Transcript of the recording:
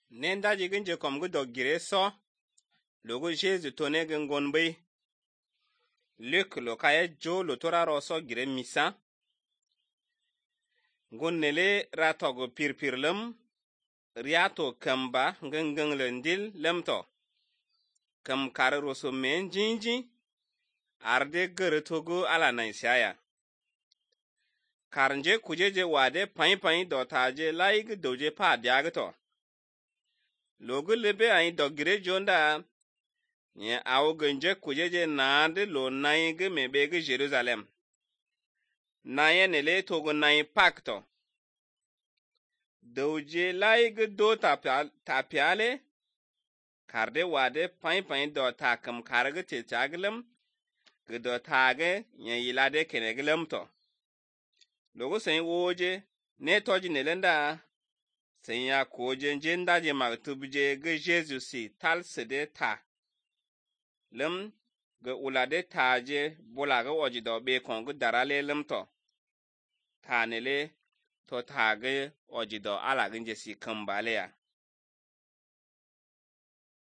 Nenda jigin je kom gu dog gire so. Logo Jésus tone gen gonbe. Luc lo kaye jo lo tora roso gire misa. Gon nele ratogo pirpirlem. Riato kamba ngeng lendil lemto. Kam kare roso men jinji. Arde gere togo ala na isaya. Karnje kujeje wade pain dotaje laig doje pa diagto. Logo lebe ay dogire jonda. Nye awo genje kujeje naade lo naige mebege Jerusalem. Naye nele togo naye pakto. Doje laig do tapiale. Karde wade pain do takam karge techaglem. Gdo tage nye yilade keneglem to. Logo sen woje ne toji nelenda. Sen ya koje njenda je maktubje ge Jesus si tal sede ta. Lem ge ulade taje bolaga ojido be kongu darale lem to. Ta nele to tage ojido ala genje si kambale ya.